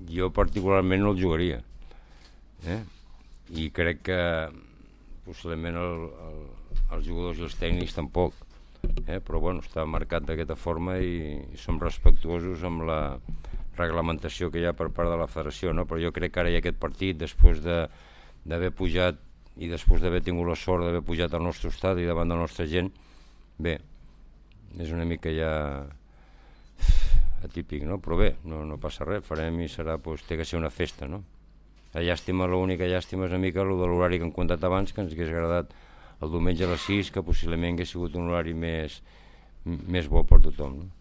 Jo particularment no el jugaria, i crec que possiblement els jugadors i els tècnics tampoc, però bueno, està marcat d'aquesta forma i som respectuosos amb la reglamentació que hi ha per part de la federació, no? Però jo crec que ara hi ha aquest partit, després d'haver pujat i després d'haver tingut la sort d'haver pujat al nostre estadi davant de la nostra gent, bé, és una mica ja atípic, no? Però bé, no passa res, farem i serà, doncs, té que ser una festa, no? L'única llàstima és una mica el de l'horari que hem contat abans, que ens hagués agradat el diumenge a les 6, que possiblement hagués sigut un horari més bo per tothom, no?